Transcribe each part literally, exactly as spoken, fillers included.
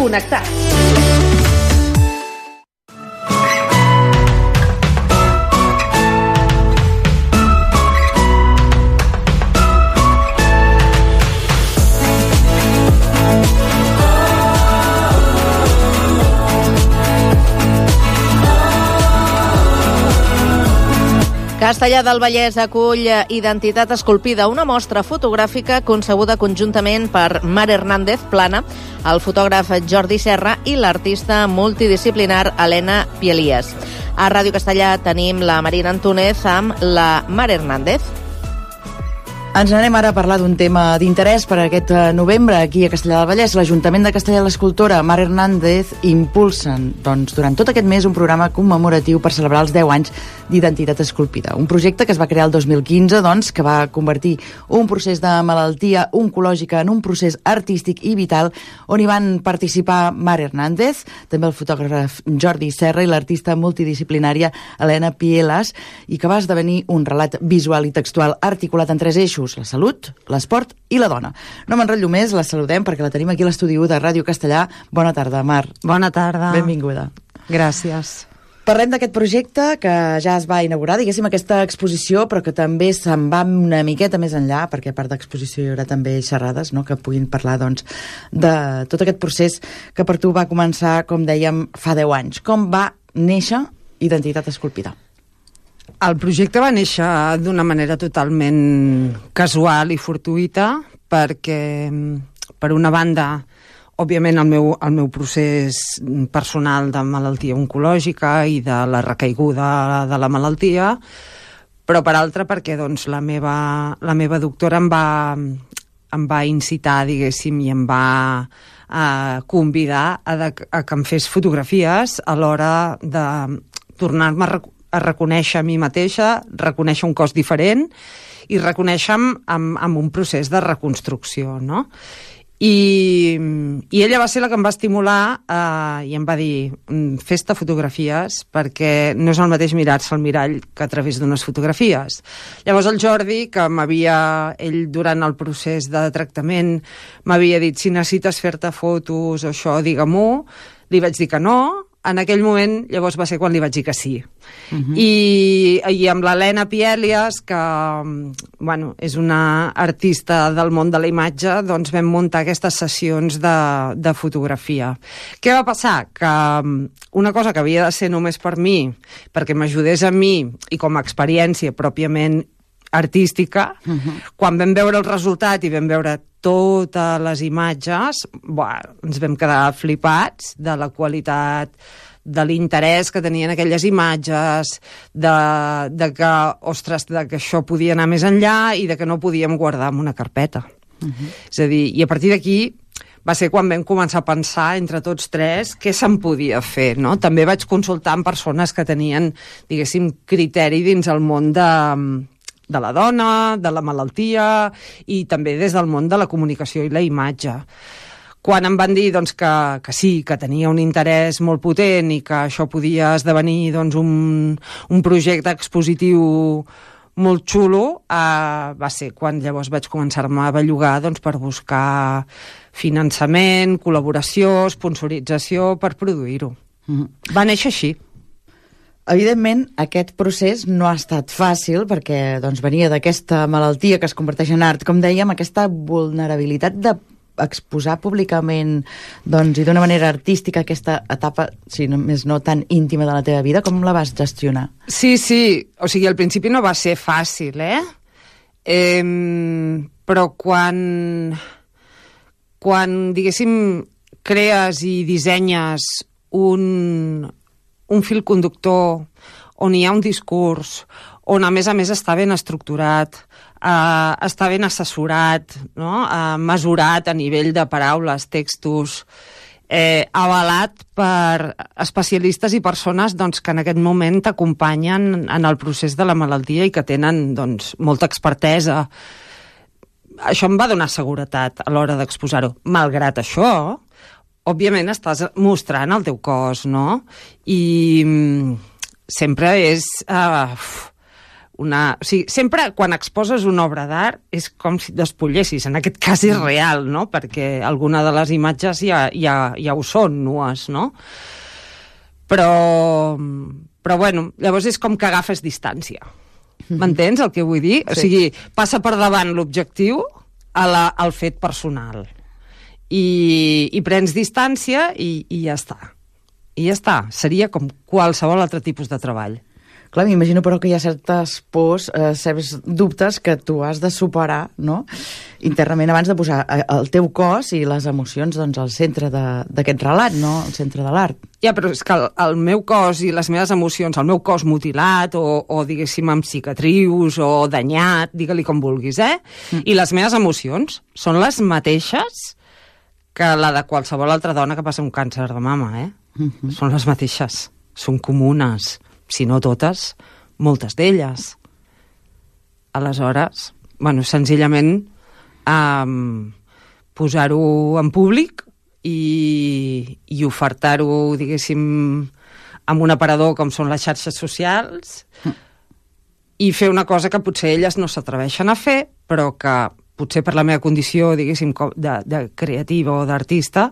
Connectats. Castellar del Vallès acull Identitat Esculpida, una mostra fotogràfica concebuda conjuntament per Mar Hernández Plana, el fotògraf Jordi Serra i l'artista multidisciplinar Helena Pielias. A Ràdio Castellar tenim la Marina Antúnez amb la Mar Hernández. Ens anem ara a parlar d'un tema d'interès per aquest novembre aquí a Castellar del Vallès. L'Ajuntament de Castellar i l'escultora Mar Hernández impulsen doncs, durant tot aquest mes un programa commemoratiu per celebrar els deu anys d'Identitat Esculpida. Un projecte que es va crear el dos mil quinze, doncs, que va convertir un procés de malaltia oncològica en un procés artístic i vital, on hi van participar Mar Hernández, també el fotògraf Jordi Serra i l'artista multidisciplinària Helena Pielias, i que va esdevenir un relat visual i textual articulat en tres eixos: la salut, l'esport i la dona. No m'enrotllo més, la saludem perquè la tenim aquí a l'estudi u de Ràdio Castellar. Bona tarda, Mar. Bona tarda. Benvinguda. Gràcies. Parlem d'aquest projecte que ja es va inaugurar, diguéssim, aquesta exposició, però que també se'n va una miqueta més enllà, perquè a part d'exposició hi haurà també xerrades, no?, que puguin parlar, doncs, de tot aquest procés que per tu va començar, com dèiem, fa deu anys. Com va néixer Identitat Esculpida? El projecte va néixer d'una manera totalment casual i fortuïta, perquè, per una banda, òbviament el meu, el meu procés personal de malaltia oncològica i de la recaiguda de la malaltia, però per altra perquè doncs, la, meva, la meva doctora em va, em va incitar, diguéssim, i em va a convidar a, de, a que em fes fotografies a l'hora de tornar-me a a reconèixer a mi mateixa, reconèixer un cos diferent i reconèixer-me amb, amb un procés de reconstrucció, no? I, i ella va ser la que em va estimular eh, i em va dir: fes-te fotografies, perquè no és el mateix mirar-se al mirall que a través d'unes fotografies. Llavors el Jordi, que m'havia, ell durant el procés de tractament m'havia dit: si necessites fer-te fotos o això, digue-m'ho. Li vaig dir que no. En aquell moment, llavors va ser quan li vaig dir que sí. Uh-huh. I, i amb l'Helena Pielias, que bueno, és una artista del món de la imatge, doncs vam muntar aquestes sessions de, de fotografia. Què va passar? Que una cosa que havia de ser només per mi, perquè m'ajudés a mi, i com a experiència pròpiament artística, uh-huh. quan vam veure el resultat i vam veure totes les imatges, buah, ens vam quedar flipats de la qualitat, de l'interès que tenien aquelles imatges, de, de que, ostres, de que això podia anar més enllà i de que no podíem guardar en una carpeta. Uh-huh. És a dir, i a partir d'aquí va ser quan vam començar a pensar entre tots tres què se'n podia fer, no? També vaig consultar amb persones que tenien, diguéssim, criteri dins el món de de la dona, de la malaltia i també des del món de la comunicació i la imatge. Quan em van dir doncs, que, que sí, que tenia un interès molt potent i que això podia esdevenir doncs, un, un projecte expositiu molt xulo, eh, va ser quan llavors vaig començar-me a bellugar doncs, per buscar finançament, col·laboració, sponsorització per produir-ho. Mm-hmm. Va néixer així. Evidentment, aquest procés no ha estat fàcil perquè doncs, venia d'aquesta malaltia que es converteix en art, com dèiem, aquesta vulnerabilitat d'exposar públicament doncs, i d'una manera artística aquesta etapa, si no, més no tan íntima de la teva vida, com la vas gestionar? Sí, sí, o sigui, al principi no va ser fàcil, eh? eh però quan, quan, diguéssim, crees i dissenyes un... un fil conductor on hi ha un discurs, on a més a més està ben estructurat, eh, està ben assessorat, no? eh, mesurat a nivell de paraules, textos, eh, avalat per especialistes i persones doncs, que en aquest moment t'acompanyen en el procés de la malaltia i que tenen doncs, molta expertesa. Això em va donar seguretat a l'hora d'exposar-ho. Malgrat això, òbviament estàs mostrant el teu cos, no? I sempre és uh, una... O sigui, sempre quan exposes una obra d'art és com si despullessis, en aquest cas és real, no? Perquè alguna de les imatges ja, ja, ja ho són, nues, no? Però, però bueno, llavors és com que agafes distància. M'entens el que vull dir? Sí. O sigui, passa per davant l'objectiu a la, al fet personal. I, i prens distància i, i ja està. I ja està. Seria com qualsevol altre tipus de treball. Clar, m'imagino però que hi ha certes pors, eh, certs dubtes que tu has de superar, no?, internament abans de posar el teu cos i les emocions doncs, al centre d'aquest relat, no?, al centre de l'art. Ja, però és que el, el meu cos i les meves emocions, el meu cos mutilat o, o diguéssim, amb cicatrius o danyat, digue-li com vulguis, eh? Mm. I les meves emocions són les mateixes que la de qualsevol altra dona que passa un càncer de mama, eh? Mm-hmm. Són les mateixes, són comunes. Si no totes, moltes d'elles. Aleshores, bueno, senzillament um, posar-ho en públic i, i ofertar-ho, diguéssim, amb un aparador com són les xarxes socials mm. i fer una cosa que potser elles no s'atreveixen a fer, però que potser per la meva condició, diguéssim, de, de creativa o d'artista,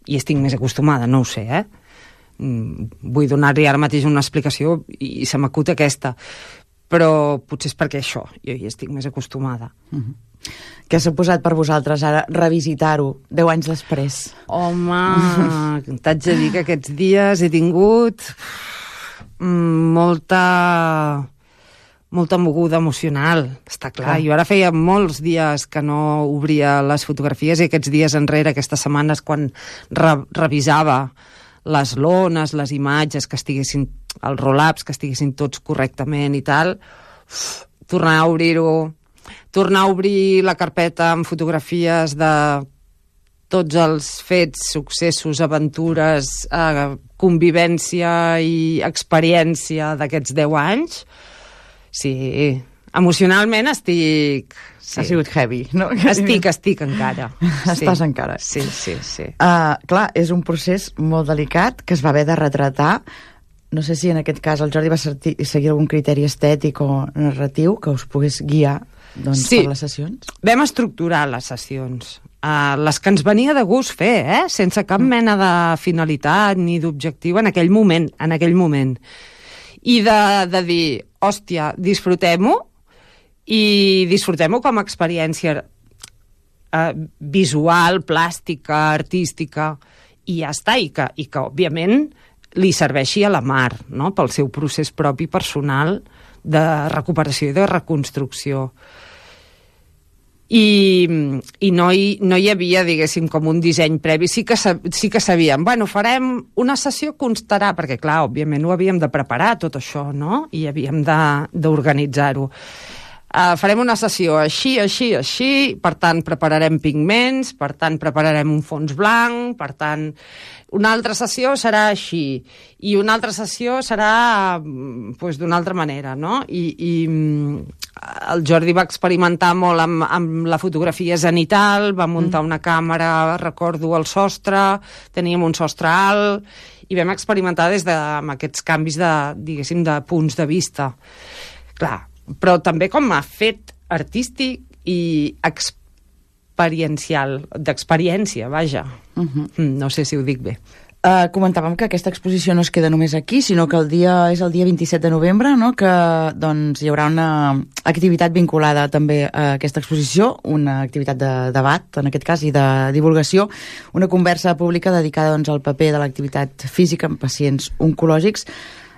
hi estic més acostumada, no ho sé, eh? Vull donar-li ara mateix una explicació i se m'acut aquesta, però potser és perquè això, jo hi estic més acostumada. Mm-hmm. Què s'ha posat per vosaltres ara revisitar-ho deu anys després? Home, t'haig de dir que aquests dies he tingut molta molta moguda emocional, està clar. Jo ara feia molts dies que no obria les fotografies i aquests dies enrere, aquestes setmanes, quan re revisava les lones, les imatges, que estiguessin, els roll-ups, que estiguessin tots correctament i tal, uf, tornar a obrir-ho, tornar a obrir la carpeta amb fotografies de tots els fets, successos, aventures, eh, convivència i experiència d'aquests deu anys. Sí, emocionalment estic... Sí. Ha sigut heavy, no? Estic, estic encara. Estàs sí. encara. Sí, sí, sí. Uh, clar, és un procés molt delicat que es va haver de retratar. No sé si en aquest cas el Jordi va seguir algun criteri estètic o narratiu que us pogués guiar doncs, sí. per les sessions. Vam estructurar les sessions. Uh, les que ens venia de gust fer, eh? Sense cap mena de finalitat ni d'objectiu en aquell moment, en aquell moment. I de, de dir, hòstia, disfrutem-ho, i disfrutem-ho com a experiència eh, visual, plàstica, artística, i ja està, i que, i que òbviament li serveixi a la Mar, no?, pel seu procés propi personal de recuperació i de reconstrucció. I, i no, hi, no hi havia, diguéssim, com un disseny previ. Sí que, sí que sabíem, bueno, farem una sessió constarà, perquè clar, òbviament ho havíem de preparar tot això, no?, i havíem d'organitzar-ho. Uh, farem una sessió així, així, així, per tant prepararem pigments, per tant prepararem un fons blanc, per tant una altra sessió serà així i una altra sessió serà pues, d'una altra manera, no? I, i el Jordi va experimentar molt amb, amb la fotografia zenital, va muntar una càmera, recordo, al sostre, teníem un sostre alt i vam experimentar des de, amb aquests canvis de, diguéssim, de punts de vista. Clar, però també com a fet artístic i experiencial, d'experiència, vaja. Uh-huh. No sé si ho dic bé. Uh, comentàvem que aquesta exposició no es queda només aquí, sinó que el dia és el dia vint-i-set de novembre, no?, que doncs, hi haurà una activitat vinculada també a aquesta exposició, una activitat de debat, en aquest cas, i de divulgació, una conversa pública dedicada doncs, al paper de l'activitat física en pacients oncològics.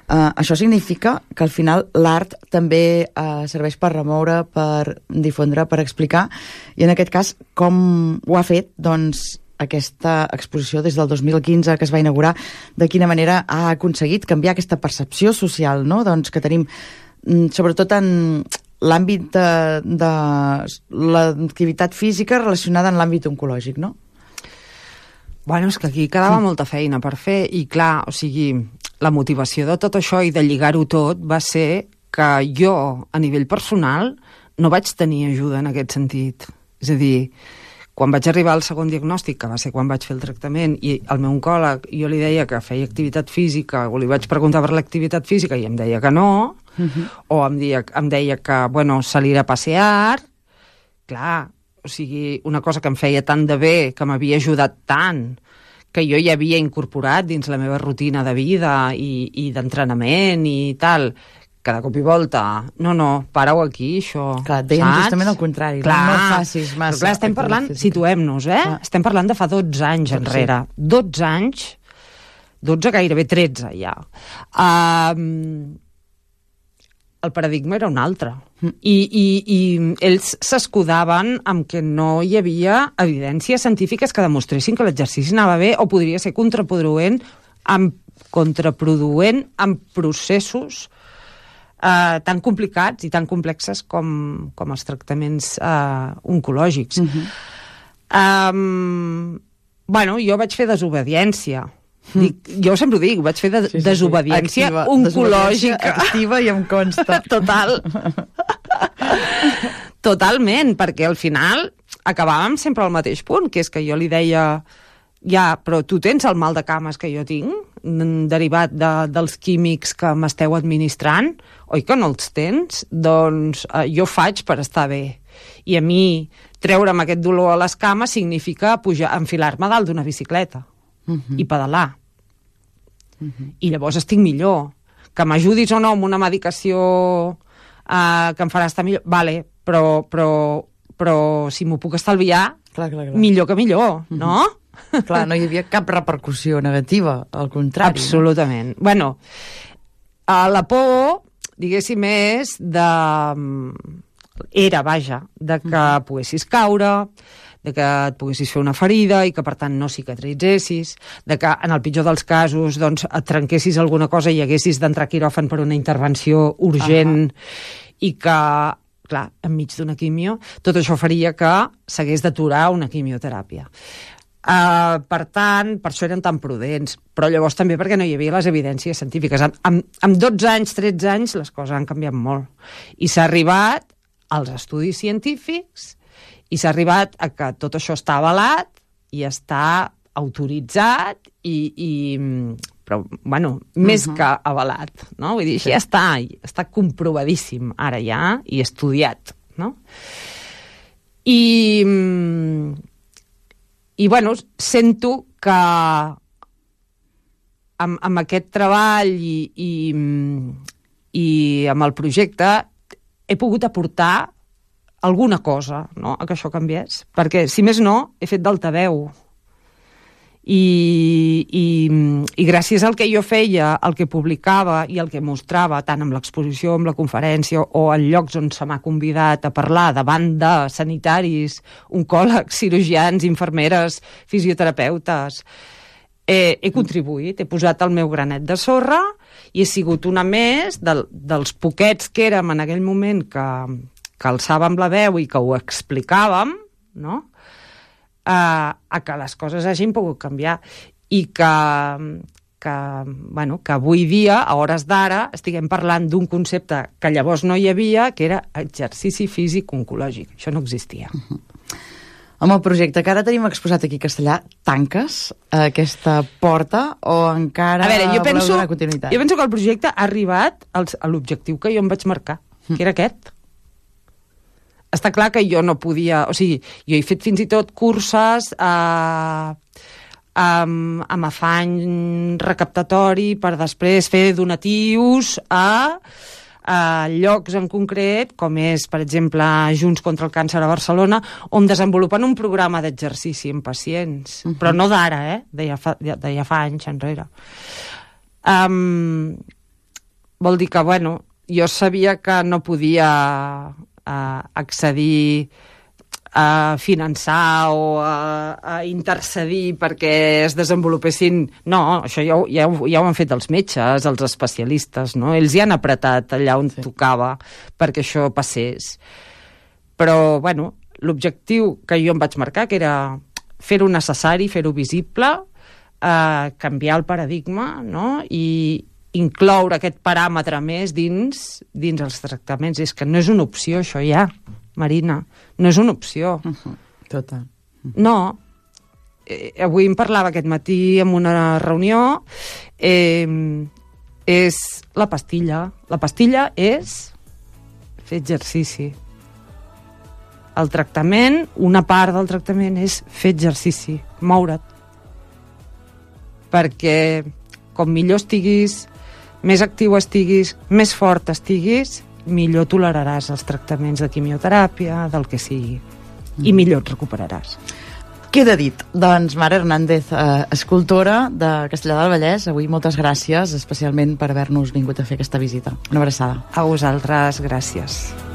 Uh, això significa que al final l'art també uh, serveix per remoure, per difondre, per explicar, i en aquest cas com ho ha fet doncs, aquesta exposició des del dos mil quinze que es va inaugurar, de quina manera ha aconseguit canviar aquesta percepció social, no?, doncs, que tenim sobretot en l'àmbit de, de l'activitat física relacionada amb l'àmbit oncològic, no? Bueno, és que aquí quedava molta feina per fer i clar, o sigui, la motivació de tot això i de lligar-ho tot va ser que jo, a nivell personal, no vaig tenir ajuda en aquest sentit. És a dir, quan vaig arribar al segon diagnòstic, que va ser quan vaig fer el tractament, i el meu oncòleg, jo li deia que feia activitat física, o li vaig preguntar per l'activitat física i em deia que no, uh-huh. o em deia, em deia que, bueno, salir a passear, clar, o sigui, una cosa que em feia tant de bé, que m'havia ajudat tant, que jo ja havia incorporat dins la meva rutina de vida i, i d'entrenament i tal, que de cop i volta, no, no, para-ho aquí, això. Clar, et deien justament el contrari, clar, no, no facis massa. Però clar, estem parlant, situem-nos, eh? Clar. Estem parlant de fa dotze anys sí, enrere. Sí. dotze anys, dotze, gairebé tretze, ja. Um, el paradigma era un altre. Mm. I, i, I ells s'escudaven amb que no hi havia evidències científiques que demostressin que l'exercici anava bé o podria ser contraproduent amb, contraproduent amb processos Uh, tan complicats i tan complexes com, com els tractaments uh, oncològics. Uh-huh. um, bueno, jo vaig fer desobediència. Mm. Dic, jo sempre ho dic, vaig fer de, sí, sí, desobediència activa, oncològica. Desobediència activa i em consta. Total. Totalment, perquè al final acabàvem sempre al mateix punt, que és que jo li deia ja, però tu tens el mal de cames que jo tinc, derivat de, dels químics que m'esteu administrant, oi que no els tens? Doncs eh, jo faig per estar bé. I a mi treure'm aquest dolor a les cames significa pujar, enfilar-me dalt d'una bicicleta uh-huh. i pedalar. Uh-huh. I llavors estic millor. Que m'ajudis o no amb una medicació eh, que em farà estar millor, vale, però, però, però si m'ho puc estalviar, clar, clar, clar. millor que millor, uh-huh. no? Clar, no hi havia cap repercussió negativa, al contrari. Absolutament. No? Bueno, la por, diguéssim, és de... Era, vaja, de que uh-huh. poguessis caure, de que et poguessis fer una ferida i que, per tant, no cicatritzessis, de que, en el pitjor dels casos, doncs, et trenquessis alguna cosa i haguessis d'entrar a quiròfan per una intervenció urgent uh-huh. i que, clar, enmig d'una quimio, tot això faria que s'hagués d'aturar una quimioteràpia. Uh, per tant, per això eren tan prudents, però llavors també perquè no hi havia les evidències científiques. Amb, amb, amb dotze anys, tretze anys, les coses han canviat molt. I s'ha arribat als estudis científics i s'ha arribat a que tot això està avalat i està autoritzat i... i però, bueno, més uh-huh. que avalat, no? Vull dir, sí. ja està, està comprovadíssim ara ja i estudiat, no? I... I, bueno, sento que amb, amb aquest treball i, i, i amb el projecte he pogut aportar alguna cosa, no?, a que això canviés. Perquè, si més no, he fet d'altaveu. I, i, i gràcies al que jo feia, el que publicava i el que mostrava, tant amb l'exposició, amb la conferència o en llocs on se m'ha convidat a parlar davant de sanitaris, oncòlegs, cirurgians, infermeres, fisioterapeutes, eh, he contribuït, he posat el meu granet de sorra i he sigut una més del, dels poquets que érem en aquell moment que, que alçàvem la veu i que ho explicàvem, no?, A, a que les coses hagin pogut canviar i que, que, bueno, que avui dia, a hores d'ara, estiguem parlant d'un concepte que llavors no hi havia, que era exercici físic oncològic. Això no existia. Uh-huh. Amb el projecte que ara tenim exposat aquí a Castellà, tanques aquesta porta o encara a veure, jo penso, voleu donar continuïtat? Jo penso que el projecte ha arribat als, a l'objectiu que jo em vaig marcar, que era aquest. Està clar que jo no podia... O sigui, jo he fet fins i tot curses eh, amb, amb afany recaptatori per després fer donatius a, a llocs en concret, com és, per exemple, Junts contra el Càncer a Barcelona, on desenvolupen un programa d'exercici en pacients. Uh-huh. Però no d'ara, eh? De ja, fa, de ja fa anys enrere. Um, vol dir que, bueno, jo sabia que no podia... a accedir a finançar o a, a intercedir perquè es desenvolupessin... No, això ja, ja, ja ho han fet els metges, els especialistes, no? Ells hi han apretat allà on sí. tocava perquè això passés. Però, bueno, l'objectiu que jo em vaig marcar, que era fer-ho necessari, fer-ho visible, eh, canviar el paradigma, no?, i incloure aquest paràmetre més dins, dins els tractaments. És que no és una opció, això ja, Marina. No és una opció. Uh-huh. Total. Uh-huh. No. Eh, avui em parlava aquest matí en una reunió. Eh, és la pastilla. La pastilla és fer exercici. El tractament, una part del tractament és fer exercici, moure't. Perquè com millor estiguis, més actiu estiguis, més fort estiguis, millor toleraràs els tractaments de quimioteràpia, del que sigui, i millor et recuperaràs. Queda dit. Doncs Mare Hernández, eh, escultora de Castellar del Vallès, avui moltes gràcies, especialment per haver-nos vingut a fer aquesta visita. Una abraçada. A vosaltres, gràcies.